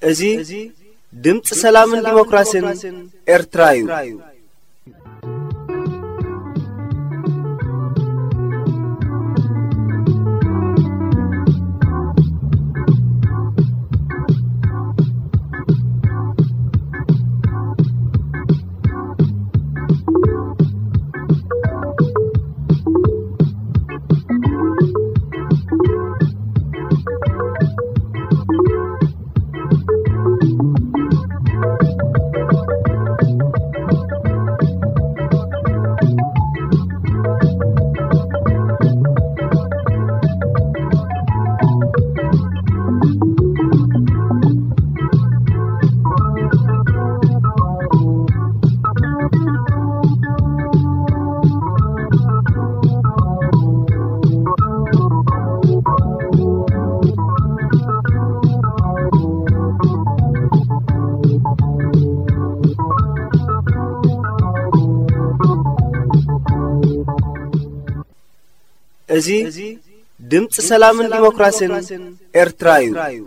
እዚ ድምፂ ሰላምን ዲሞክራሲን ኤርትራ እዩ። እዚ ድምፂ ሰላምን ዲሞክራሲን ኤርትራ እዩ።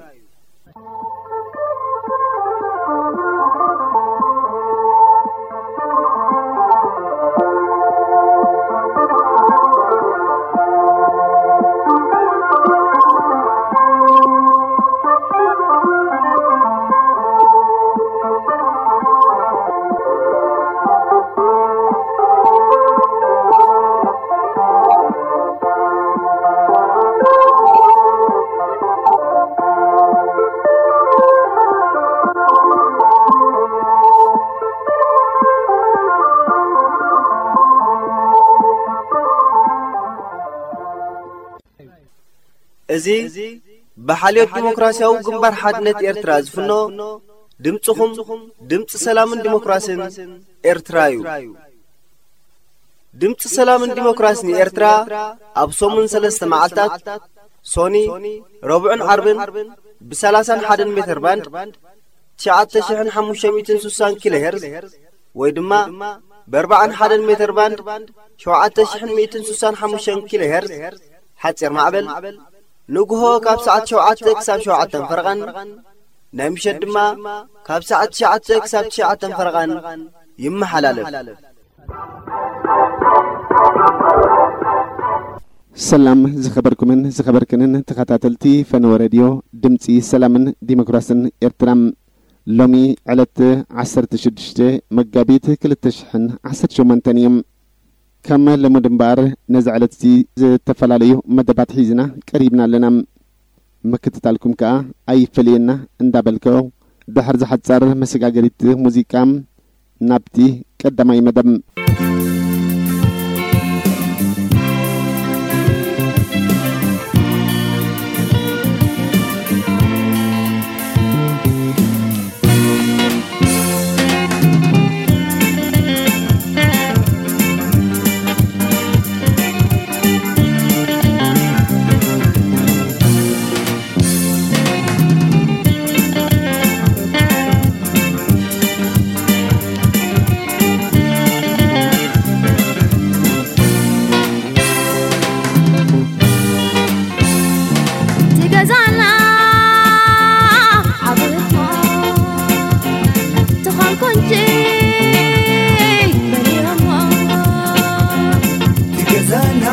እዚ ብሓልዮት ዲሞክራሲያዊ ግንባር ሓድነት ኤርትራ ዝፍኖ ድምፅኹም፣ ድምፂ ሰላምን ዲሞክራሲን ኤርትራ እዩ። ድምፂ ሰላምን ዲሞክራሲን ኤርትራ ኣብ ሰሙን ሰለስተ መዓልታት፣ ሶኒ፣ ረቡዕን ዓርብን፣ ብ ሰላሳን ሓደን ሜተር ባንድ፣ ትሽዓተ ሽሕን ሓሙሽተ ሚእትን ስሳን ኪሎ ሄርዝ፣ ወይ ድማ ብ ኣርባዓን ሓደን ሜተር ባንድ፣ ሸውዓተ ሽሕን ሚእትን ስሳን ሓሙሽተን ኪሎ ሄርዝ፣ ሓፂር ማዕበል፣ ንግሆ ካብ ሰዓት ሸውዓተ ክሳብ ሸውዓተን ፈረቓን፣ ናይ ምሸት ድማ ካብ ሰዓት ትሽዓተ ክሳብ ትሽዓተን ፈረቓን ይመሓላለፍ። ሰላም ዝኸበርኩምን ዝኸበርክንን ተኸታተልቲ ፈነወ ሬድዮ ድምፂ ሰላምን ዲሞክራስን ኤርትራ። ሎሚ ዕለት ዓሰርተ ሽዱሽተ መጋቢት ክልተ ሽሕን ዓሰርተ ሸሞንተን እዩ። ከም ልሙድ እምበኣር ነዚ ዕለት እዚ ዝተፈላለዩ መደባት ሒዝና ቀሪብና ኣለና። ምክትታልኩም ከኣ ኣይፈለየና እንዳበልከ፣ ድሕሪ ዝሓጻር መሰጋገሪት ሙዚቃ ናብቲ ቀዳማይ መደብ። ትገዛና ዓብቶ ትኾን ኮንጂ በሊሮሞ ትገዛና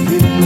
ብልቦ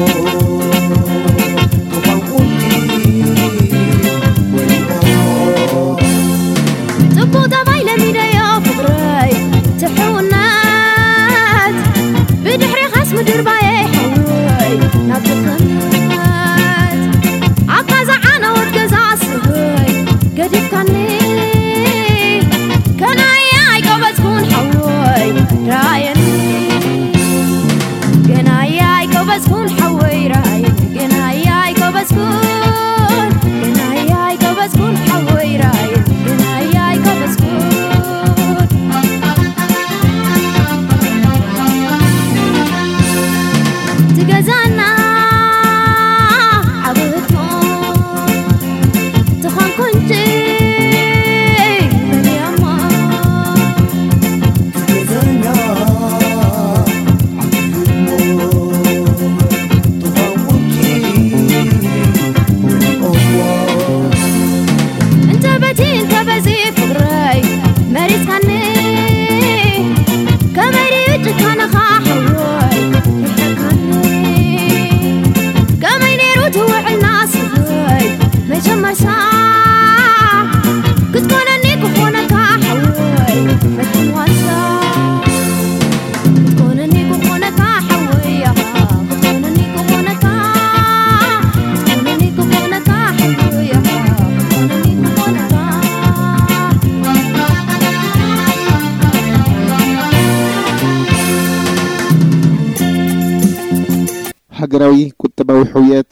ሃገራዊ ቁጠባዊ ሕውየት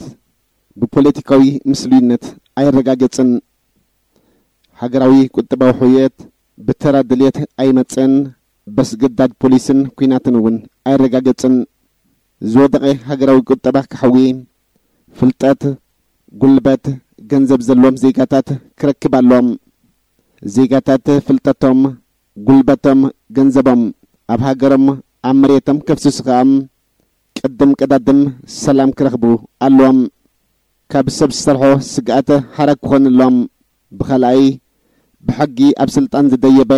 ብፖለቲካዊ ምስሉይነት ኣይረጋገጽን። ሃገራዊ ቁጠባዊ ሕውየት ብተራ ድልየት ኣይመጽእን፣ በስግዳድ ፖሊስን ኲናትን እውን ኣይረጋገጽን። ዝወደቐ ሃገራዊ ቁጠባ ክሕዊ፣ ፍልጠት፣ ጉልበት፣ ገንዘብ ዘለዎም ዜጋታት ክረክብ ኣለዎም። ዜጋታት ፍልጠቶም፣ ጉልበቶም፣ ገንዘቦም ኣብ ሃገሮም፣ ኣብ መሬቶም ከፍስሱ ከኣ ቅድም ቀዳድም ሰላም ክረኽቡ ኣለዎም። ካብ ሰብ ዝሰርሖ ስግኣት ሓራ ክኾንሎም። ብኻልኣይ፣ ብሕጊ ኣብ ስልጣን ዝደየበ፣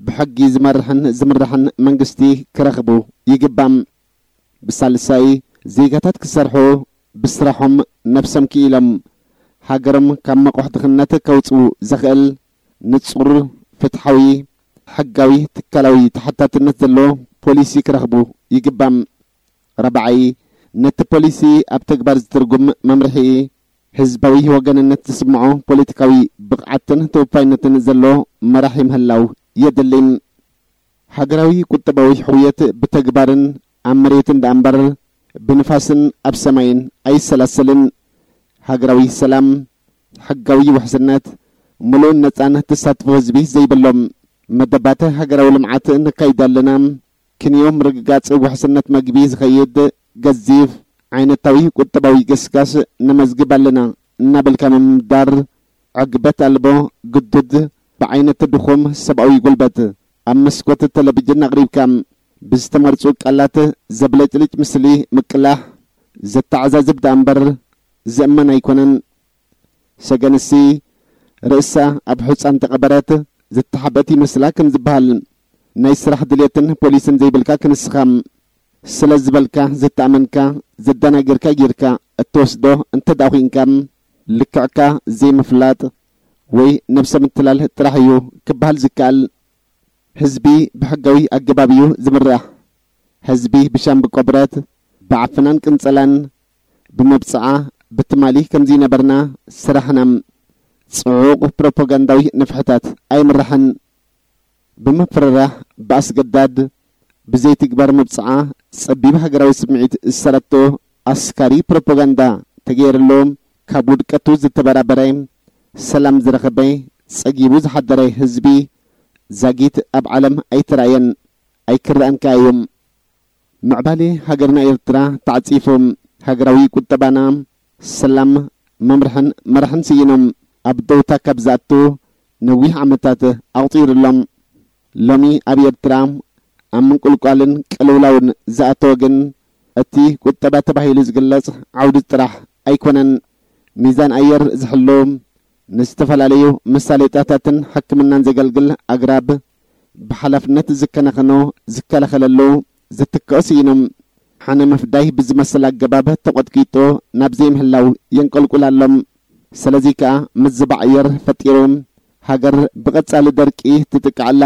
ብሕጊ ዝመርሕን ዝምራሕን መንግስቲ ክረኽቡ ይግባም። ብሳልሳይ፣ ዜጋታት ክሰርሑ፣ ብስራሖም ነብሶም ክኢሎም፣ ሃገሮም ካብ መቑሕ ድኽነት ከውጽኡ ዘኽእል ንጹር፣ ፍትሓዊ፣ ሕጋዊ፣ ትካላዊ ተሓታትነት ዘለዎ ፖሊሲ ክረኽቡ ይግባም። ራብዓይ፣ ነቲ ፖሊሲ ኣብ ተግባር ዝትርጉም መምርሒ፣ ህዝባዊ ወገንነት ዝስምዖ ፖለቲካዊ ብቕዓትን ተወፋይነትን ዘሎ መራሒ ምህላው የድሊ። ሃገራዊ ቁጠባዊ ሕውየት ብተግባርን ኣብ መሬትን ደኣ እምበር ብንፋስን ኣብ ሰማይን ኣይሰላሰልን። ሃገራዊ ሰላም፣ ሕጋዊ ውሕስነት፣ ምሉእን ነጻን ተሳትፎ ህዝቢ ዘይብሎም መደባት ሃገራዊ ልምዓት ነካይድ ኣለና። ክንዮ ምርግጋጽ ውሕስነት መግቢ ዝኸይድ ገዚፍ ዓይነታዊ ቁጠባዊ ገስጋስ ነመዝግብ ኣለና እናበልካ ምምዳር ዕግበት ኣልቦ፣ ግዱድ፣ ብዓይነቱ ድኹም ሰብኣዊ ጉልበት ኣብ መስኮት ቴሌቪዥን ኣቕሪብካ ብዝተመርጹ ቃላት ዘብለጭልጭ ምስሊ ምቅላሕ ዘተዓዛዝብ ደኣ እምበር ዝእመን ኣይኮነን። ሰገንሲ ርእሳ ኣብ ሑጻ እንተቐበረት ዝተሓበአት ይመስላ ከም ዝበሃል፣ ናይ ስራሕ ድሌትን ፖሊስን ዘይብልካ ክንስኻ ስለ ዝበልካ ዝተኣመንካ ዘደናገርካ ጌርካ እትወስዶ እንተ ደኣ ኹይንካ፣ ልክዕካ ዘይምፍላጥ ወይ ነብሰ ምትላል ጥራሕ እዩ ክበሃል ዝከኣል። ህዝቢ ብሕጋዊ ኣገባብ እዩ ዝምራሕ። ህዝቢ ብሻምብቆ ብረት፣ ብዓፈናን ቅንጸላን፣ ብመብጽዓ፣ ብትማሊ ከም ዝነበርና ስራሕና ጽዑቕ ፕሮፓጋንዳዊ ንፍሕታት ኣይምራሕን። ብምፍርራሕ፣ ብኣስገዳድ፣ ብዘይትግባር መብጽዓ፣ ጸቢብ ሃገራዊ ስምዒት ዝሰረቶ ኣስካሪ ፕሮፓጋንዳ ተገይርሉ፣ ካብ ውድቀቱ ዝተበራበረ፣ ሰላም ዝረኸበ፣ ጸጊቡ ዝሓደረ ህዝቢ ዛጊት ኣብ ዓለም ኣይተራእየን፣ ኣይክረኣን ከኣ እዩ። ምዕባሌ ሃገርና ኤርትራ ተዓጺፉ፣ ሃገራዊ ቁጠባና፣ ሰላም፣ መምርሕን መራሕን ስኢኖም፣ ኣብ ደውታ ካብ ዝኣቱ ነዊሕ ዓመታት ኣቑጺሩ ኣሎ። ሎሚ ኣብ ኤርትራ ኣብ ምንቁልቋልን ቅልውላውን ዝኣተወ ግን፣ እቲ ቁጠባ ተባሂሉ ዝግለጽ ዓውዲ ጥራሕ ኣይኮነን። ሚዛን ኣየር ዝሕሉ፣ ንዝተፈላለዩ መሳለጥያታትን ሕክምናን ዘገልግል ኣግራብ ብሓላፍነት ዝከናኸኖ፣ ዝከላኸለሉ፣ ዝትክኦ ስኢኑ፣ ሕነ ምፍዳይ ብዝመስል ኣገባብ ተቖጥቂጡ ናብ ዘይምህላው የንቆልቁል ኣሎ። ስለዚ ከኣ ምዝባዕ ኣየር ፈጢሩ፣ ሃገር ብቐጻሊ ደርቂ ትጥቃዕ ኣላ።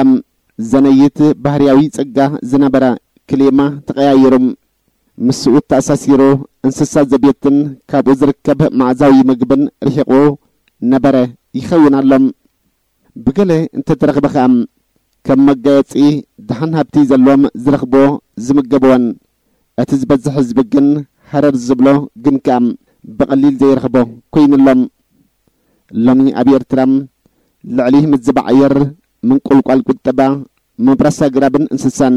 ዘነይት ባህርያዊ ጸጋ ዝነበረ ክሊማ ተቐያይሩ፣ ምስኡ ተኣሳሲሩ እንስሳ ዘቤትን ካብኡ ዝርከብ መኣዛዊ ምግብን ርሒቑ ነበረ ይኸውን ኣሎ። ብገለ እንተተረኽበ ከኣ ከም መጋየጺ ደሓን ሃብቲ ዘለዎም ዝረኽብዎ ዝምገብዎን፣ እቲ ዝበዝሕ ህዝቢ ግን ሃረር ዝብሎ ግን ከኣ ብቐሊል ዘይረኽቦ ኮይኑሎም። ሎሚ ኣብ ኤርትራ ልዕሊ ምዝባዕ ኣየር፣ ምንቁልቋል ቁጠባ፣ ምብራስ ኣግራብን እንስሳን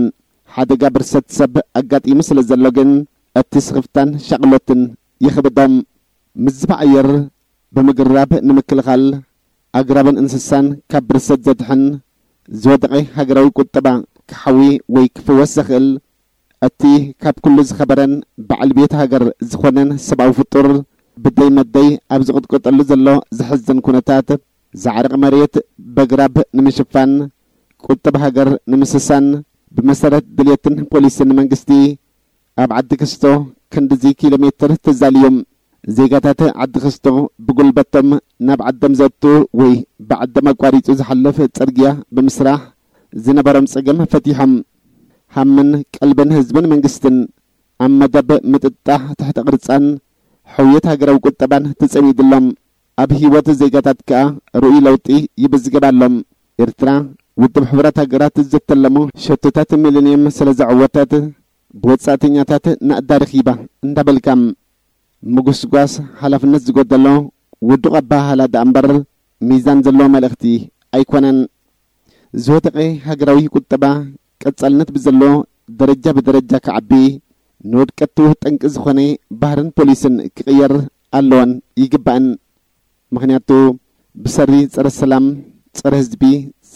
ሓደጋ ብርሰት ሰብ ኣጋጢሙ ስለ ዘሎ ግን፣ እቲ ስኽፍታን ሻቕሎትን ይኽብዶም። ምዝባዕ ኣየር ብምግራብ ንምክልኻል፣ ኣግራብን እንስሳን ካብ ብርሰት ዘድሕን፣ ዝወደቐ ሃገራዊ ቁጠባ ክሓዊ ወይ ክፍወስ ዘኽእል፣ እቲ ካብ ኩሉ ዝኸበረን በዓል ቤት ሃገር ዝኾነን ሰብኣዊ ፍጡር፣ ብደይ መደይ ኣብ ዝቕጥቀጠሉ ዘሎ ዘሕዝን ኩነታት፣ ዘዕርቕ መሬት በግራብ ንምሽፋን፣ ቁጠባ ሃገር ንምስሳን፣ ብመሰረት ድልየትን ፖሊስን መንግስቲ፣ ኣብ ዓዲ ክስቶ ክንድዚ ኪሎ ሜትር ተዛልዮም። ዜጋታት ዓዲ ክስቶ ብጉልበቶም ናብ ዓዶም ዘእቱ ወይ ብዓዶም ኣቋሪጹ ዝሓልፍ ጽርግያ ብምስራሕ ዝነበሮም ጸገም ፈቲሖም፣ ሃምን ቀልብን ህዝብን መንግስትን ኣብ መደብ ምጥጣሕ ትሕተ ቅርጻን ሕውየት ሃገራዊ ቁጠባን ተጸሚዱሎም። ኣብ ህይወት ዜጋታት ከኣ ርኡይ ለውጢ ይምዝገብ ኣሎ። ኤርትራ፣ ውድብ ሕቡራት ሃገራት ዝተለሞ ሸቶታት ሚሊንየም ስለ ዘዐወተት፣ ብወጻእተኛታት ናእዳ ረኺባ እንዳበልካ ምጉስጓስ ሓላፍነት ዝጎደሎ ውዱቕ ኣበሃህላ ደኣ እምበር፣ ሚዛን ዘለዎ መልእኽቲ ኣይኮነን። ዝወደቐ ሃገራዊ ቁጠባ ቀጻልነት ብዘሎ ደረጃ ብደረጃ ክዓቢ፣ ንውድቀቱ ጠንቂ ዝኾነ ባህርን ፖሊስን ክቕየር ኣለዎን ይግባእን። ምኽንያቱ ብሰሪ ጸረ ሰላም፣ ጸረ ህዝቢ፣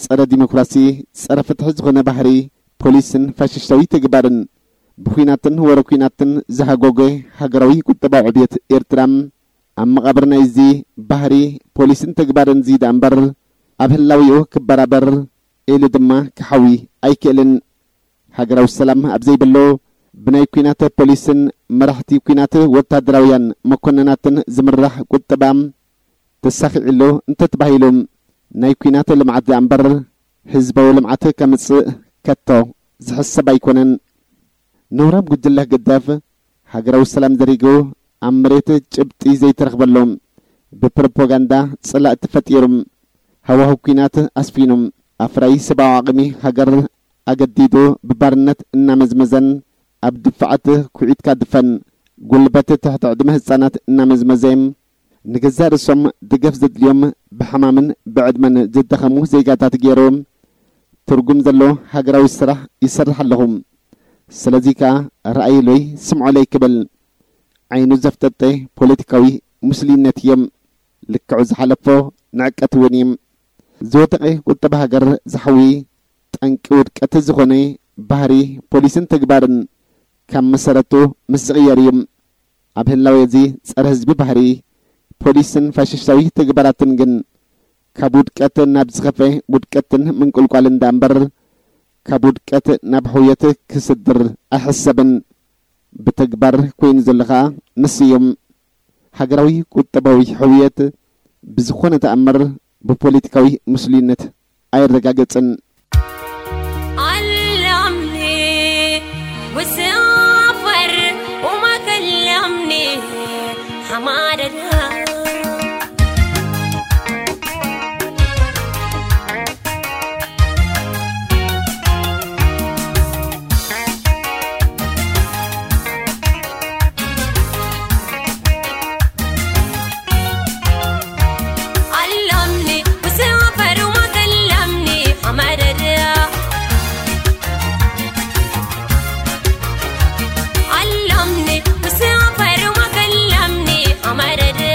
ጸረ ዲሞክራሲ፣ ጸረ ፍትሒ ዝኾነ ባህሪ ፖሊስን ፋሽስታዊ ተግባርን ብኹናትን ወረ ኲናትን ዝሃጎገ ሃገራዊ ቁጠባዊ ዕብየት ኤርትራ፣ ኣብ መቓብር ናይዚ ባህሪ ፖሊስን ተግባርን እዚ ደኣ እምበር፣ ኣብ ህላዊኡ ክበራበር ኢሉ ድማ ክሓዊ ኣይክእልን። ሃገራዊ ሰላም ኣብ ዘይብሉ፣ ብናይ ኲናት ፖሊስን መራሕቲ ኲናት ወታደራውያን መኮንናትን ዝምራሕ ቁጠባ ተሳኺዕሉ እንተተባሂሉ፣ ናይ ኲናት ልምዓት ደኣ እምበር ህዝባዊ ልምዓት ከምጽእ ከቶ ዝሕሰብ ኣይኮነን። ነውራም ጉጅለ ህግደፍ ሃገራዊ ሰላም ዘሪጉ፣ ኣብ መሬት ጭብጢ ዘይተረኽበሉ፣ ብፕሮፓጋንዳ ጸላእቲ ፈጢሩ፣ ሃዋህው ኲናት ኣስፊኑ፣ ኣፍራዪ ሰብኣዊ ዓቕሚ ሃገር ኣገዲዱ ብባርነት እናመዝመዘን፣ ኣብ ድፋዓት ኩዒትካ ድፈን፣ ጉልበት ትሕቲ ዕድመ ህጻናት እናመዝመዘ፣ ንገዛእ ርእሶም ደገፍ ዘድልዮም ብሕማምን ብዕድመን ዝደኸሙ ዜጋታት ገይሩ፣ ትርጉም ዘለዎ ሃገራዊ ስራሕ ይሰርሕ ኣለኹ። ስለዚ ከኣ ረኣይሎይ ስምዖለይ ክብል ዓይኑ ዘፍጠጠ ፖለቲካዊ ምስሉይነት እዮም። ልክዑ ዝሓለፎ ንዕቀት እውን እዩ። ዝወደቐ ቁጠባ ሃገር ዝሓዊ ጠንቂ ውድቀት ዝኾነ ባህሪ ፖሊስን ተግባርን ካብ መሰረቱ ምስ ዝቕየር እዩ። ኣብ ህላዌ እዚ ጸረ ህዝቢ ባህሪ ፖሊስን ፋሽስታዊ ተግባራትን ግን ካብ ውድቀት ናብ ዝኸፈ ውድቀትን ምንቁልቋልን ደኣ እምበር ካብ ውድቀት ናብ ሕውየት ክስድር ኣይሕሰብን። ብተግባር ኮይኑ ዘሎ ኸኣ ንሱ እዩ። ሃገራዊ ቁጠባዊ ሕውየት ብዝኾነ ተኣምር ብፖለቲካዊ ምስሉይነት ኣይረጋገጽን። علمني وسافر وما كلمني حمادة. علمني وسافر وما كلمني حمادة. علمني وسافر وما كلمني حمادة.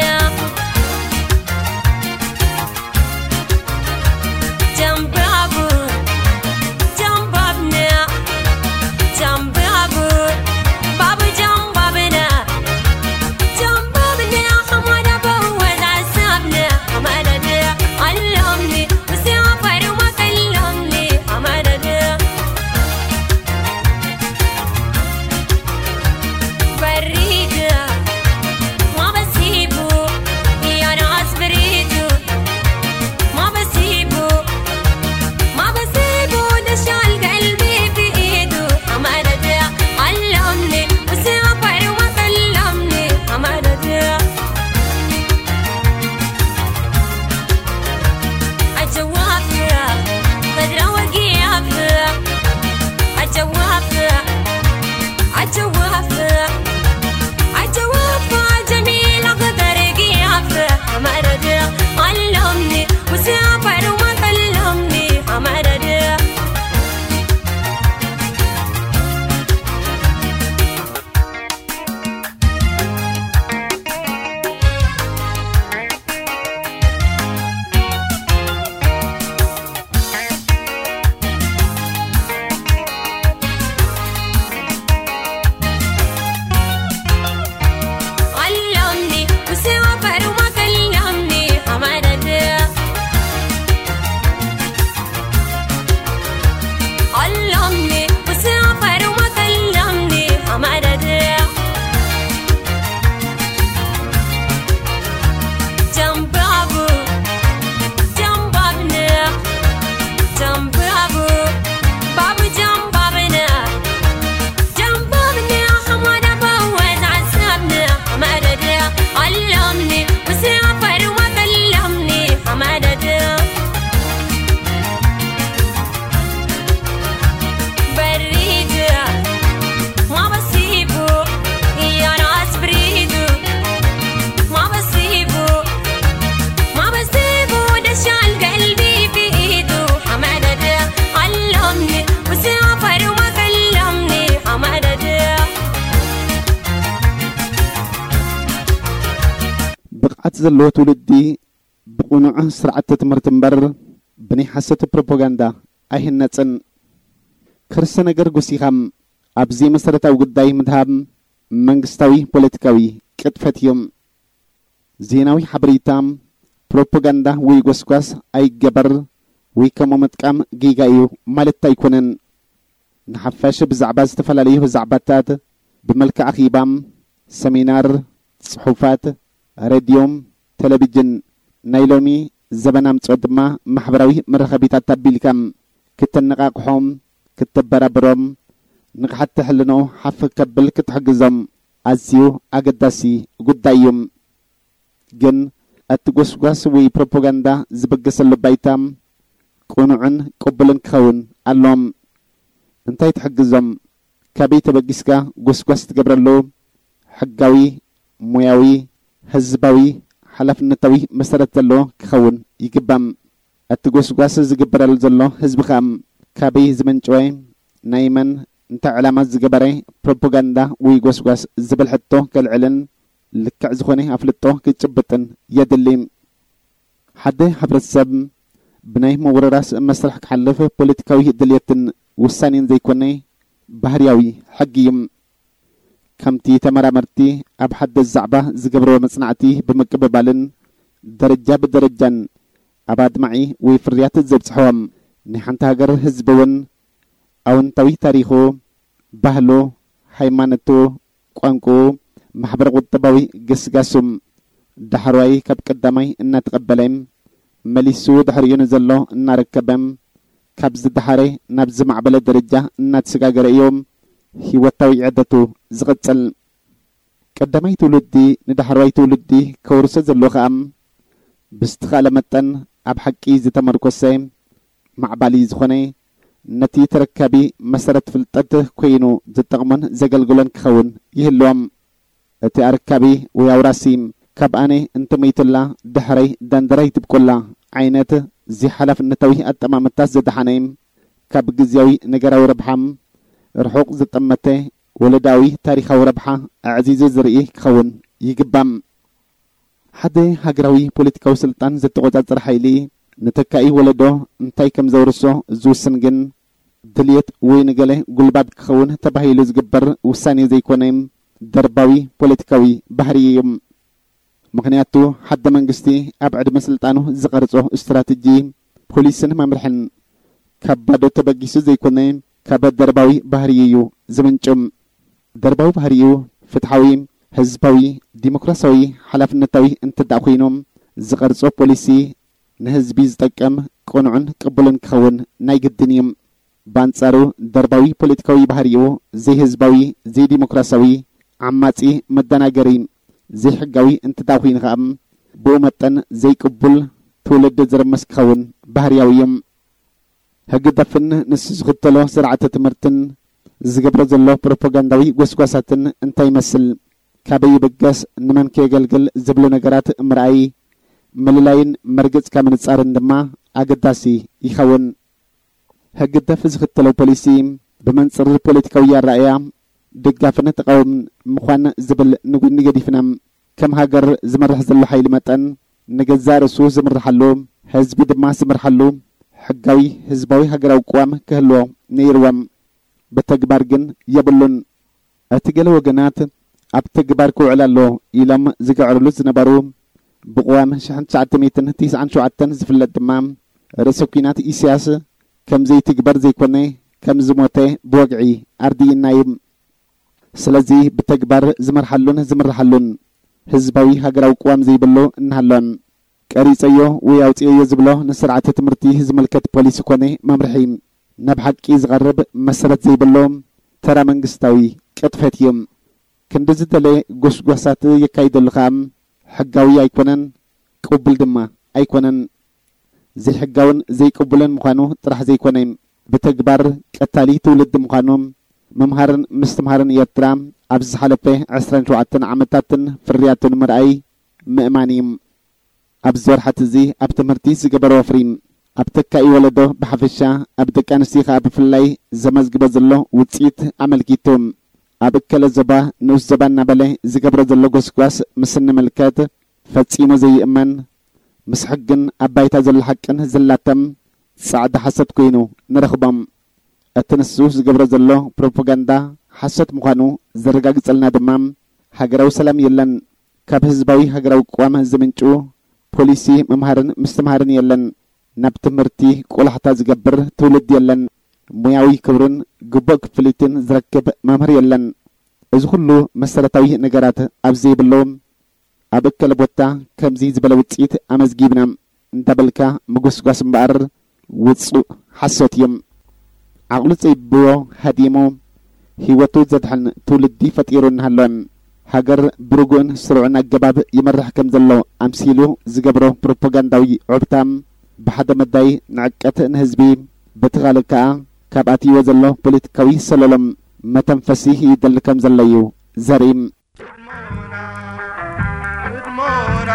ዘለዎ ትውልዲ ብቕኑዕ ስርዓተ ትምህርቲ እምበር ብናይ ሓሶት ፕሮፓጋንዳ ኣይህነጽን። ከርሰ ነገር ጎሲኻ ኣብዚ መሰረታዊ ጉዳይ ምድሃብ መንግስታዊ ፖለቲካዊ ቅጥፈት እዩ። ዜናዊ ሓበሬታ፣ ፕሮፓጋንዳ ወይ ጎስጓስ ኣይገበር ወይ ከምኡ ምጥቃም ጌጋ እዩ ማለት ኣይኮነን። ንሓፋሽ ብዛዕባ ዝተፈላለዩ ዛዕባታት ብመልክዕ ኣኼባ፣ ሰሚናር፣ ጽሑፋት፣ ሬድዮ፣ ቴሌቪዥን፣ ናይ ሎሚ ዘበን ኣምጽኦ ድማ ማሕበራዊ መራኸቢታት ኣቢልካ ክተነቓቕሖም፣ ክተበራብሮም፣ ንቕሓት ሕልንኡ ሓፍ ከብል ክትሕግዞም ኣዝዩ ኣገዳሲ ጉዳይ እዩ። ግን እቲ ጎስጓስ ወይ ፕሮፓጋንዳ ዝበገሰሉ ባይታ ቅኑዕን ቅቡልን ክኸውን ኣሎም። እንታይ ትሕግዞም? ካበይ ተበጊስካ ጎስጓስ ትገብረሉ? ሕጋዊ፣ ሞያዊ፣ ህዝባዊ፣ ሓላፍነታዊ መሰረት ዘለዎ ክኸውን ይግባም። እቲ ጎስጓስ ዝግበረሉ ዘሎ ህዝቢ ኸኣ ካበይ ዝመንጨወ፣ ናይ መን፣ እንታይ ዕላማ ዝገበረ ፕሮፓጋንዳ ወይ ጎስጓስ ዝብል ሕቶ ከልዕልን ልክዕ ዝኾነ ኣፍልጦ ክጭብጥን የድሊ። ሓደ ሕብረተሰብ ብናይ ምውርራስ መስርሕ ክሓልፍ ፖለቲካዊ ድልየትን ውሳኔን ዘይኮነ ባህርያዊ ሕጊ እዩ። ከምቲ ተመራመርቲ ኣብ ሓደስ ዛዕባ ዝገብርዎ መጽናዕቲ ብምቅብባልን ደረጃ ብደረጃን ኣብ ኣድማዒ ወይ ፍርያት ዘብጽሕዎም ናይ ሓንቲ ሃገር ህዝቢ እውን ኣወንታዊ ታሪኹ፣ ባህሉ፣ ሃይማኖቱ፣ ቋንቋኡ፣ ማሕበረ ቁጠባዊ ግስጋሱ ዳሕረዋይ ካብ ቀዳማይ እናተቐበለ መሊሱ ድሕሪኡ ንዘሎ እናረከበ ካብ ዝደሓረ ናብ ዝማዕበለ ደረጃ እናተሰጋገረ እዩ ህይወታዊ ዕደቱ ዝቕጽል። ቀዳማይ ትውልዲ ንዳሕረዋይ ትውልዲ ከውርሶ ዘለዎ ኸኣ ብዝተኻእለ መጠን ኣብ ሓቂ ዝተመርኮሰ ማዕባሊ ዝኾነ ነቲ ተረካቢ መሰረት ፍልጠት ኮይኑ ዝጠቕሞን ዘገልግሎን ክኸውን ይህልዎም። እቲ ኣረካቢ ወይ ኣውራሲ ካብ ኣነ እንተመይቱላ ድሕረይ ደንደራይ ትብቁላ ዓይነት ዘይሓላፍነታዊ ኣጠማምታ ዝደሓነ ካብ ግዝያዊ ነገራዊ ረብሓ ርሑቕ ዝጠመተ ወለዳዊ ታሪኻዊ ረብሓ ኣዕዚዙ ዝርኢ ክኸውን ይግባም። ሓደ ሃገራዊ ፖለቲካዊ ስልጣን ዘተቖጻጸር ሓይሊ ንተካኢ ወለዶ እንታይ ከም ዘውርሶ ዝውስን ግን ድልየት ወይ ንገለ ጉልባብ ክኸውን ተባሂሉ ዝግበር ውሳኔ ዘይኮነ ደርባዊ ፖለቲካዊ ባህሪ እዩ። ምኽንያቱ ሓደ መንግስቲ ኣብ ዕድመ ስልጣኑ ዝቐርጾ ስትራተጂ፣ ፖሊስን መምርሕን ካብ ባዶ ተበጊሱ ዘይኮነ ካብ ደርባዊ ባህሪ እዩ ዝምንጩ። ደርባዊ ባህሪኡ ፍትሓዊ፣ ህዝባዊ፣ ዲሞክራሲያዊ፣ ሓላፍነታዊ እንተ ደኣ ኮይኑ ዝቐርጾ ፖሊሲ ንህዝቢ ዝጠቅም ቅኑዕን ቅቡልን ክኸውን ናይ ግድን እዩ። ብኣንጻሩ ደርባዊ ፖለቲካዊ ባህሪኡ ዘይህዝባዊ፣ ዘይዲሞክራሲያዊ፣ ዓማጺ፣ መደናገሪ፣ ዘይሕጋዊ እንተ ደኣ ኮይኑ ከኣ ብኡ መጠን ዘይቅቡል ትውልዲ ዝርምስ ክኸውን ባህርያዊ እዩ። ህግደፍን ንሱ ዝኽተሎ ስርዓተ ትምህርትን ዝገብሮ ዘሎ ፕሮፓጋንዳዊ ጎስጓሳትን እንታይ ይመስል፣ ካበይ ይብገስ፣ ንመን ከየገልግል ዝብሉ ነገራት ምርኣይ፣ ምልላይን መርገጽካ ምንጻርን ድማ ኣገዳሲ ይኸውን። ህግደፍ ዝኽተሎ ፖሊሲ ብመንጽር ፖለቲካዊ ኣረኣእያ ደጋፍን ተቓውምን ምዃን ዝብል ንጎኒ ገዲፍና፣ ከም ሃገር ዝመርሕ ዘሎ ሓይሊ መጠን ንገዛእ ርእሱ ዝምርሓሉ፣ ህዝቢ ድማ ዝምርሓሉ ሕጋዊ ህዝባዊ ሃገራዊ ቅዋም ክህልዎ ነይርዎም። ብተግባር ግን የብሉን። እቲ ገለ ወገናት ኣብ ተግባር ክውዕል ኣሎ ኢሎም ዝግዕርሉ ዝነበሩ ብቅዋም ሽሕን ትሽዓተ ሚእትን ትስዓን ሸውዓተን ዝፍለጥ ድማ ርእሰ ኲናት ኢሳያስ ከም ዘይትግበር ዘይኮነ ከም ዝሞተ ብወግዒ ኣርዲእና እዩ። ስለዚ ብተግባር ዝመርሓሉን ዝምርሓሉን ህዝባዊ ሃገራዊ ቅዋም ዘይብሉ እናሃሎን ቀሪጸዮ ወይ ኣውጽኤዮ ዝብሎ ንስርዓተ ትምህርቲ ዝምልከት ፖሊሲ ኮነ መምርሒ ናብ ሓቂ ዝቐርብ መሰረት ዘይብሎ ተራ መንግስታዊ ቅጥፈት እዩ። ክንዲ ዝደለ ጎስጓሳት የካይደሉ ከኣ ሕጋዊ ኣይኮነን፣ ቅቡል ድማ ኣይኮነን። ዘይሕጋውን ዘይቅቡልን ምዃኑ ጥራሕ ዘይኮነ፣ ብተግባር ቀታሊ ትውልዲ ምዃኑ ምምሃርን ምስትምሃርን ኤርትራ ኣብዚ ዝሓለፈ ዕስራን ሸውዓተን ዓመታትን ፍርያቱ ንምርኣይ ምእማን እዩ። ኣብዚ ወርሓት እዚ ኣብ ትምህርቲ ዝገበሮ ወፍሪ፣ ኣብ ተካኢ ወለዶ ብሓፈሻ፣ ኣብ ደቂ ኣንስትዮ ከኣ ብፍላይ ዘመዝግቦ ዘሎ ውጽኢት ኣመልኪቱ፣ ኣብ እከለ ዞባ ንኡስ ዞባ እናበለ ዝገብሮ ዘሎ ጎስጓስ ምስ እንምልከት፣ ፈጺሙ ዘይእመን፣ ምስ ሕግን ኣብ ባይታ ዘሎ ሓቅን ዝላተም ጻዕዳ ሓሶት ኮይኑ ንረኽቦም። እቲ ንሱ ዝገብሮ ዘሎ ፕሮፓጋንዳ ሓሶት ምዃኑ ዘረጋግጸልና ድማ፣ ሃገራዊ ሰላም የለን፣ ካብ ህዝባዊ ሃገራዊ ቅዋም ዝምንጩ ፖሊሲ ምምሃርን ምስትምሃርን የለን፣ ናብ ትምህርቲ ቆላሕታ ዝገብር ትውልዲ የለን፣ ሞያዊ ክብርን ግቡእ ክፍሊትን ዝረክብ መምህር የለን። እዚ ኩሉ መሰረታዊ ነገራት ኣብ ዘይብሉ፣ ኣብ እከለ ቦታ ከምዚ ዝበለ ውጽኢት ኣመዝጊብና እንዳበልካ ምጉስጓስ እምበኣር ውጹእ ሓሶት እዩ። ዓቕሉ ጸቢብዎ ሃዲሙ ህይወቱ ዘድሕን ትውልዲ ፈጢሩ እናሃለወ፣ ሃገር ብርጉእን ስሩዕን ኣገባብ ይመርሕ ከም ዘሎ ኣምሲሉ ዝገብሮ ፕሮፓጋንዳዊ ዑብታ፣ ብሓደ መዳይ ንዕቀት ንህዝቢ፣ በቲ ካልእ ከኣ ካብ ኣትይዎ ዘሎ ፖለቲካዊ ሰለሎም መተንፈሲ ይደሊ ከም ዘሎ እዩ ዘርኢ። ህድሞና፣ ህድሞና፣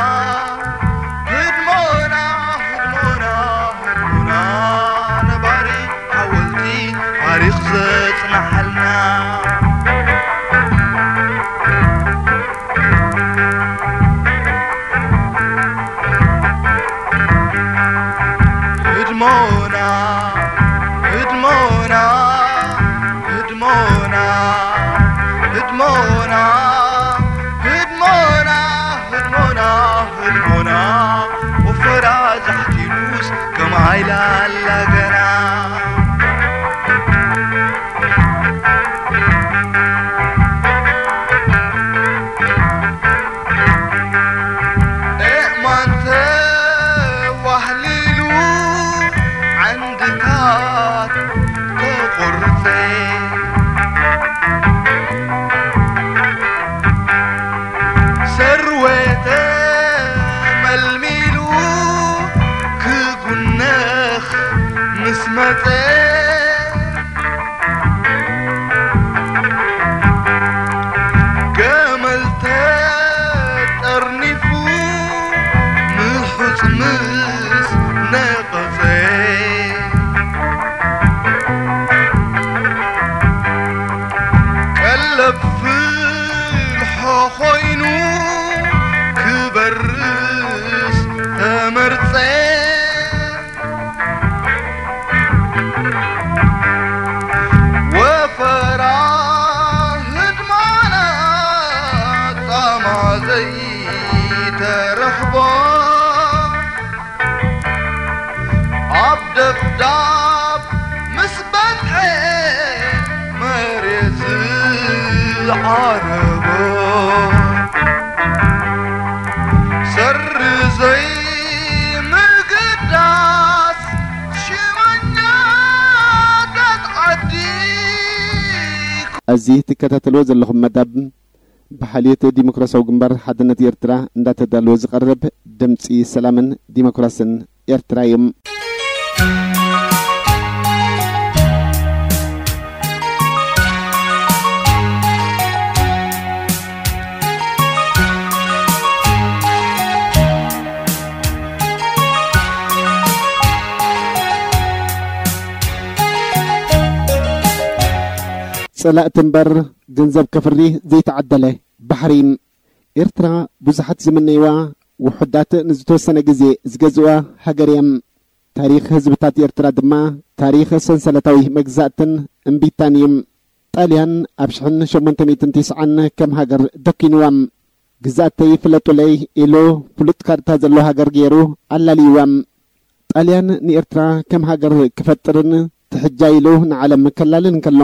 ህድሞና፣ ህድሞና፣ ህድሞና፣ ነባሪ ሓወልቲ ታሪኽ ዘጽንሓልና። ህድሞና፣ ህድሞና፣ ህድሞና፣ ህድሞና፣ ህድሞና፣ ህድሞና፣ ህድሞና፣ ወፈራ ዛሕቲሉስ ከም ኣይላላ ገና። ኤእማን ተዋህሊሉ ዓንድታት ተቖርጸ፣ ሰርወ ተመልሚሉ ክጉነኽ ምስ መጸ፣ ገመል ተጠርኒፉ ምሑጽ ምስ ነቐጸ፣ ቀለብ ፍልሖ ኮይኑ ክበርስ ተመርጸ። ወፈራ ህድማና ጻማ ዘይተረኽቦ፣ ኣብ ደብዳብ ምስ በጽሐ መሬት ዝዓረቦ፣ ሰሪ ዘይምግዳስ ሽመኛታት ዓዲ። እዚ ትከታተልዎ ዘለኹም መደብ ብሓልዮት ዲሞክራሲያዊ ግንባር ሓድነት ኤርትራ እንዳተዳለወ ዝቐርብ ድምጺ ሰላምን ዲሞክራስን ኤርትራ እዩ። ጸላእቲ እምበር ገንዘብ ከፍሪ ዘይተዓደለ ባሕሪ። ኤርትራ ብዙሓት ዝምነይዋ፣ ውሑዳት ንዝተወሰነ ግዜ ዝገዝእዋ ሃገር እያ። ታሪኽ ህዝብታት ኤርትራ ድማ ታሪኽ ሰንሰለታዊ መግዛእትን እምቢታን እዩ። ጣልያን ኣብ ሽሕን ሸሞንተ ሚእትን ተስዓን ከም ሃገር ደኪንዋ። ግዛእተይ ፍለጡለይ ኢሉ ፍሉጥ ካርታ ዘለዎ ሃገር ገይሩ ኣላልይዋ። ጣልያን ንኤርትራ ከም ሃገር ክፈጥርን ትሕጃ ኢሉ ንዓለም ከላልን እንከሎ፣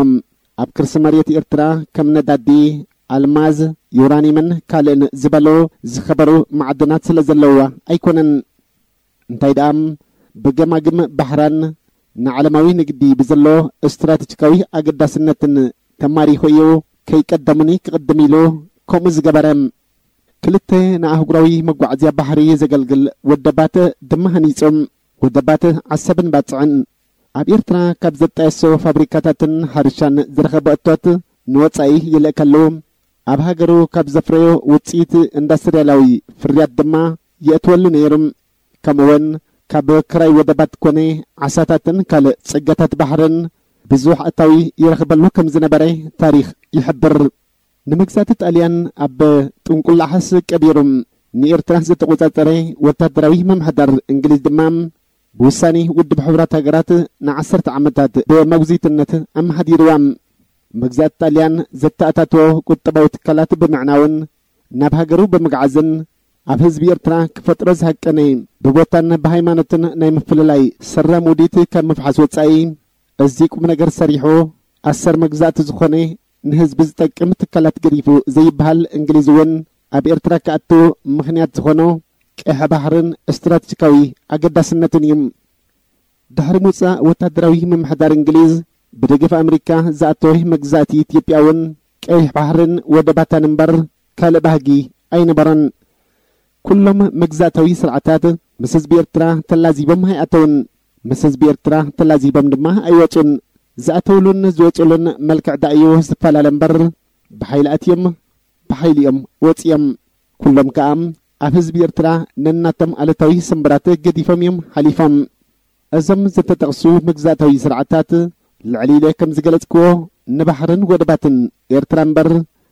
ኣብ ከርሲ መሬት ኤርትራ ከም ነዳዲ፣ ኣልማዝ፣ ዩራኒየምን ካልእን ዝበሉ ዝኸበሩ ማዕድናት ስለ ዘለውዋ ኣይኮነን። እንታይ ደኣ፣ ብገማግም ባሕራን ንዓለማዊ ንግዲ ብዘሎ ስትራተጂካዊ ኣገዳስነትን ተማሪኹ እዩ ከይቀደሙኒ ክቕድም ኢሉ ከምኡ ዝገበረ። ክልተ ንኣህጉራዊ መጓዓዝያ ባሕሪ ዘገልግል ወደባት ድማ ሃኒጹ። ወደባት ዓሰብን ባጽዕን። ኣብ ኤርትራ ካብ ዘጣየሶ ፋብሪካታትን ሕርሻን ዝረኸቦ እቶት ንወጻኢ ይልእከሉ። ኣብ ሃገሩ ካብ ዘፍረዮ ውጽኢት ኢንዳስትርያላዊ ፍርያት ድማ የእትወሉ ነይሩ። ከምኡውን ካብ ክራይ ወደባት ኮነ ዓሳታትን ካልእ ጸጋታት ባሕርን ብዙሕ ኣታዊ ይረኽበሉ ከም ዝነበረ ታሪኽ ይሕብር። ንመግዛእቲ ጣልያን ኣብ ጥንቁላሕስ ቀቢሩ፣ ንኤርትራ ዝተቆጻጸረ ወታደራዊ ምምሕዳር እንግሊዝ ድማ ብውሳኔ ውድብ ሕቡራት ሃገራት ንዓሰርተ ዓመታት ብመጉዚትነት ኣመሓዲርዋ። መግዛእቲ ጣልያን ዘተኣታትዎ ቁጠባዊ ትካላት ብምዕናውን ናብ ሃገሩ ብምግዓዝን ኣብ ህዝቢ ኤርትራ ክፈጥሮ ዝሃቀነ ብቦታን ብሃይማኖትን ናይ ምፍልላይ ሰራም ውዲት ካብ ምፍሓስ ወጻኢ፣ እዚ ቁም ነገር ሰሪሑ ኣሰር መግዛእቲ ዝኾነ ንህዝቢ ዝጠቅም ትካላት ገዲፉ ዘይበሃል እንግሊዝ እውን ኣብ ኤርትራ ክኣቱ ምኽንያት ዝኾኖ ቀይሕ ባሕርን ስትራቴጂካዊ ኣገዳስነትን እዩ። ድሕሪ ምውጻእ ወታደራዊ ምምሕዳር እንግሊዝ ብደገፍ ኣመሪካ ዝኣተወ መግዛእቲ ኢትዮጵያ እውን ቀይሕ ባሕርን ወደባታን እምበር ካልእ ባህጊ ኣይነበሮን። ኩሎም መግዛእታዊ ስርዓታት ምስ ህዝቢ ኤርትራ ተላዚቦም ኣይኣተውን። ምስ ህዝቢ ኤርትራ ተላዚቦም ድማ ኣይወጹን። ዝኣተውሉን ዝወጹሉን መልክዕ ደኣ እዩ ዝፈላለ እምበር ብሓይሊ ኣትዮም ብሓይሊ እዮም ወጺኦም። ኩሎም ከኣ ኣብ ህዝቢ ኤርትራ ነናቶም ኣለታዊ ስምብራት ገዲፎም እዮም ሓሊፎም። እዞም ዝተጠቕሱ መግዛእታዊ ስርዓታት ልዕሊ ኢለ ከም ዝገለጽክዎ ንባሕርን ወደባትን ኤርትራ እምበር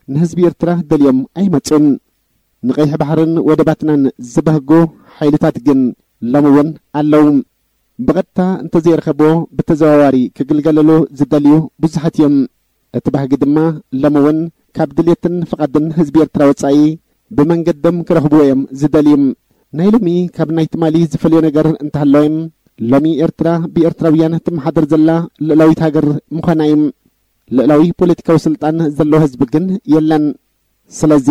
ንህዝቢ ኤርትራ ደልዮም ኣይመጹን። ንቀይሕ ባሕርን ወደባትናን ዝበህጉ ሓይልታት ግን ሎሚ እውን ኣለዉ። ብቐጥታ እንተዘይረኸብዎ ብተዘዋዋሪ ክግልገለሉ ዝደልዩ ብዙሓት እዮም። እቲ ባህጊ ድማ ሎሚ እውን ካብ ድልየትን ፍቓድን ህዝቢ ኤርትራ ወጻኢ ብመንገዶም ክረኽብዎ እዮም ዝደልዩ። ናይ ሎሚ ካብ ናይ ትማሊ ዝፈልዮ ነገር እንተሃለወ፣ ሎሚ ኤርትራ ብኤርትራውያን ትመሓደር ዘላ ልእላዊት ሃገር ምዃና እዩ። ልእላዊ ፖለቲካዊ ስልጣን ዘለዎ ህዝቢ ግን የለን። ስለዚ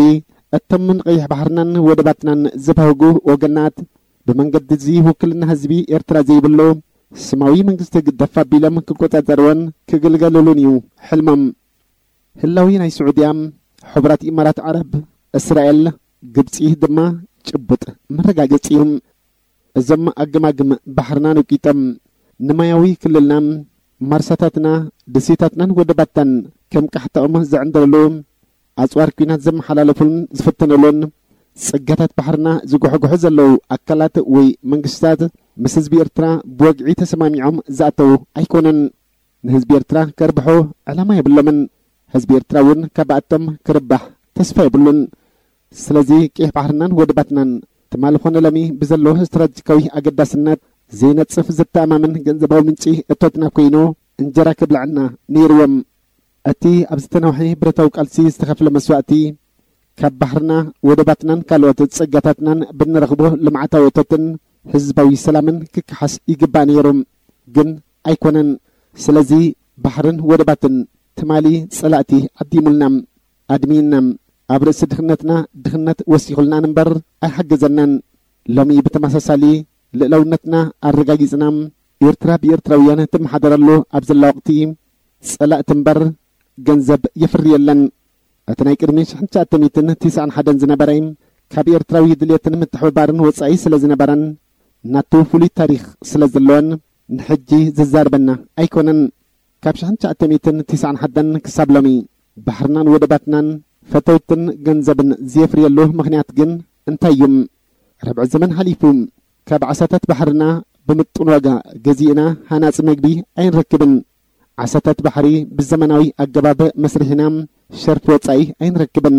እቶም ንቀይሕ ባሕርናን ወደባትናን ዝበህጉ ወገናት ብመንገዲ እዚ ውክልና ህዝቢ ኤርትራ ዘይብሉ ስማዊ መንግስቲ ግደፍ ኣቢሎም ክቆጻጸርዎን ክግልገሉሉን እዩ ሕልሞም። ህላዊ ናይ ስዑድያ፣ ሕቡራት ኢማራት ዓረብ፣ እስራኤል፣ ግብጺ ድማ ጭቡጥ መረጋገጺ እዩ። እዞም ኣገማግም ባሕርና ነቂጦም ንማያዊ ክልልና፣ ማርሳታትና፣ ደሴታትናን ወደባትናን ከም ቃሕታኦም ዝዕንደርሉ፣ ኣጽዋር ኲናት ዘመሓላለፉን ዝፍትንሉን፣ ጸጋታት ባሕርና ዝጉሕጉሑ ዘለዉ ኣካላት ወይ መንግስታት ምስ ህዝቢ ኤርትራ ብወግዒ ተሰማሚዖም ዝኣተዉ ኣይኮኑን። ንህዝቢ ኤርትራ ከርብሑ ዕላማ የብሎምን። ህዝቢ ኤርትራ እውን ካብኣቶም ክርባሕ ተስፋ የብሉን። ስለዚ ቀይሕ ባሕርናን ወደባትናን ትማሊ ኾነ ሎሚ ብዘለዎ ስትራቴጂካዊ ኣገዳስነት ዘይነጽፍ ዘተኣማምን ገንዘባዊ ምንጪ እቶትና ኮይኑ እንጀራ ክብልዐና ነይርዎም። እቲ ኣብ ዝተናውሐ ብረታዊ ቃልሲ ዝተኸፍለ መስዋእቲ ካብ ባሕርና ወደባትናን ካልኦት ጸጋታትናን ብንረኽቦ ልምዓታዊ እቶትን ህዝባዊ ሰላምን ክከሓስ ይግባእ ነይሩ። ግን ኣይኮነን። ስለዚ ባሕርን ወደባትን ትማሊ ጸላእቲ ዓዲሙልና፣ ኣድሚና፣ ኣብ ርእሲ ድኽነትና ድኽነት ወሲኹልና እምበር ኣይሓገዘናን። ሎሚ ብተመሳሳሊ ልእላውነትና ኣረጋጊጽና፣ ኤርትራ ብኤርትራውያን ትመሓደረሉ ኣብ ዘላ ወቕቲ ጸላእቲ እምበር ገንዘብ የፍሪ የለን። እቲ ናይ ቅድሚ ሽሕን ትሽዓተ ሚእትን ትስዓን ሓደን ዝነበረ ካብ ኤርትራዊ ድልየትን ምትሕብባርን ወጻኢ ስለ ዝነበረን ናቱ ፍሉይ ታሪኽ ስለ ዘለዎን ንሕጂ ዝዛርበና ኣይኮነን። ካብ ሽሕን ትሽዓተ ሚእትን ትስዓን ሓደን ክሳብ ሎሚ ባሕርናን ወደባትናን ፈተውትን ገንዘብን ዝየፍርየሉ ምኽንያት ግን እንታይ እዩ? ርብዒ ዘመን ሓሊፉ። ካብ ዓሳታት ባሕርና ብምጡን ዋጋ ገዚእና ሃናጺ መግቢ ኣይንረክብን። ዓሳታት ባሕሪ ብዘመናዊ ኣገባብ መስሪሕና ሸርፊ ወጻኢ ኣይንረክብን።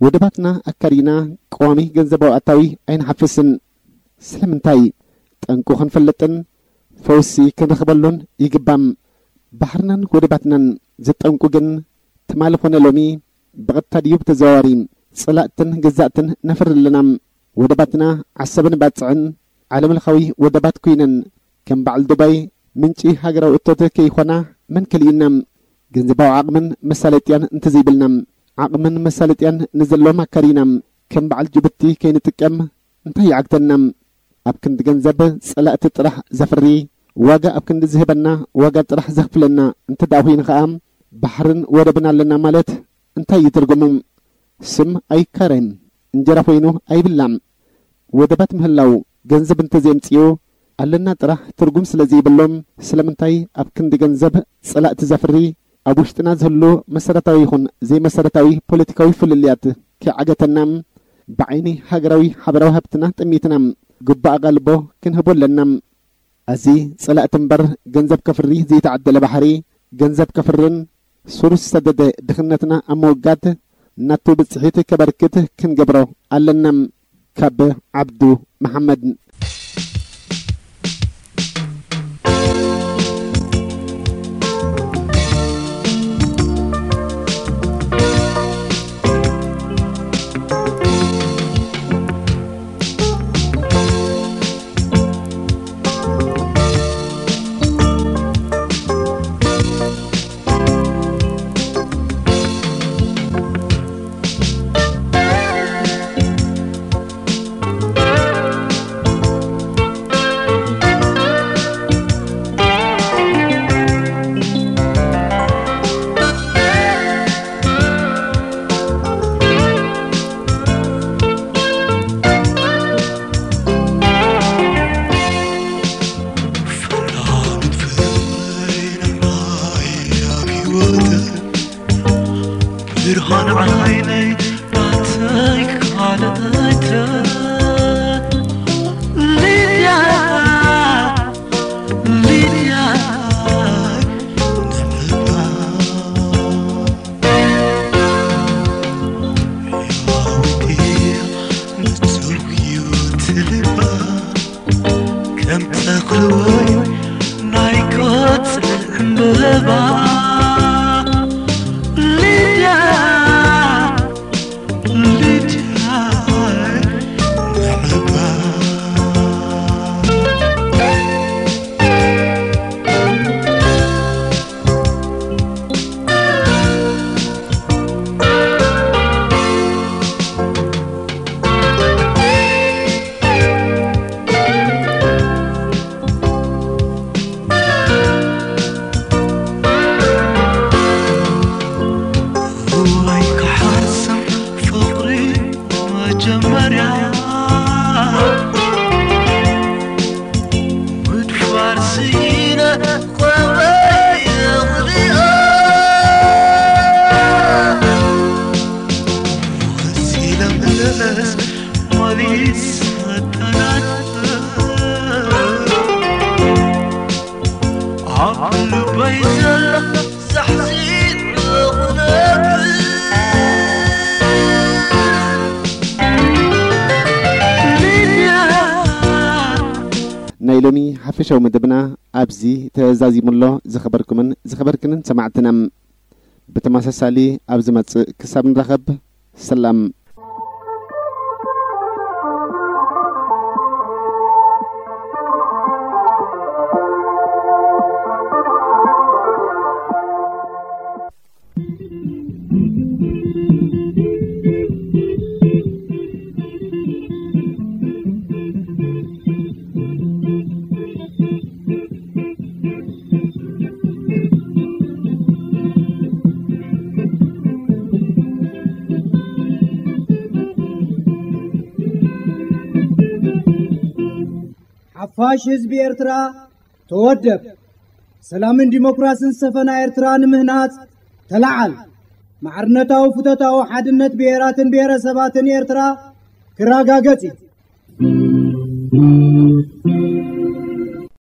ወደባትና ኣካሪና ቀዋሚ ገንዘባዊ ኣታዊ ኣይንሓፍስን። ስለምንታይ? ጠንቁ ክንፈልጥን ፈውሲ ክንረኽበሉን ይግባም። ባሕርናን ወደባትናን ዝጠንቁ ግን ትማሊ ኾነ ሎሚ ብቐጥታ ድዩ ብተዘዋዋሪ ጸላእትን ገዛእትን ነፍሪ ኣለና። ወደባትና ዓሰብን ባጽዕን ዓለምለኻዊ ወደባት ኮይነን ከም በዓል ዱባይ ምንጪ ሃገራዊ እቶት ከይኾና መን ከሊኡና? ገንዘባዊ ዓቕምን መሳለጥያን እንተዘይብልና፣ ዓቕምን መሳለጥያን ንዘለዎም ኣካሪና ከም በዓል ጅቡቲ ከይንጥቀም እንታይ ይዓግተና? ኣብ ክንዲ ገንዘብ ጸላእቲ ጥራሕ ዘፍሪ፣ ዋጋ ኣብ ክንዲ ዝህበና ዋጋ ጥራሕ ዘኽፍለና እንተ ደኣ ኮይኑ ኸኣ፣ ባሕርን ወደብን ኣለና ማለት እንታይ እዩ ትርጉሙ? ስም ኣይካረን፣ እንጀራ ኮይኑ ኣይብላዕ። ወደባት ምህላው ገንዘብ እንተዘየምጽኡ ኣለና ጥራሕ ትርጉም ስለ ዘይብሎም፣ ስለምንታይ ኣብ ክንዲ ገንዘብ ጸላእቲ ዘፍሪ ኣብ ውሽጥና ዝህሉ መሰረታዊ ይኹን ዘይመሰረታዊ ፖለቲካዊ ፍልልያት ከይዓገተና፣ ብዓይኒ ሃገራዊ ሓበራዊ ሃብትና ጠሚትና ግቡእ ኣቓልቦ ክንህቦ ኣለና። እዚ ጸላእቲ እምበር ገንዘብ ከፍሪ ዘይተዓደለ ባሕሪ፣ ገንዘብ ከፍርን ሱር ዝሰደደ ድኽነትና ኣብ ምውጋድ ናቱ ብጽሒት ከበርክት ክንገብሮ ኣለና። ካብ ዓብዱ መሓመድ። ብርሃን ዓይነይ ናተይ ካልኣይተ ሊድያ፣ ሊድያ ንዕባ ሕያዊት ንጹህ ህይወት ልባ ከም ተኽሊ ወይ ናይ ቆጽሊ ዕምበባ ሊድያ፣ ሊድያ ንዕባ። እዋይ ክሓስም ፍቕሪ መጀመርያ ምድፋር ስኢነ ቆመይ እኽልኦ ወሲለ ምለስ ሞሊስ ኣጠናን ኣብ ልበይ ዘሎ ዛሕዚን እኽለብ ሊድያ። ናይ ሎሚ ሓፈሻዊ መደብና ኣብዚ ተዛዚሙ ኣሎ። ዝኸበርኩምን ዝኸበርክንን ሰማዕትና፣ ብተመሳሳሊ ኣብ ዝመጽእ ክሳብ ንራኸብ፣ ሰላም። ሓፋሽ ህዝቢ ኤርትራ ተወደብ። ሰላምን ዲሞክራስን ዝሰፈና ኤርትራ ንምህናጽ ተለዓል። ማዕርነታዊ ፍቶታዊ ሓድነት ብሄራትን ብሄረሰባትን ኤርትራ ክረጋገጽ እዩ።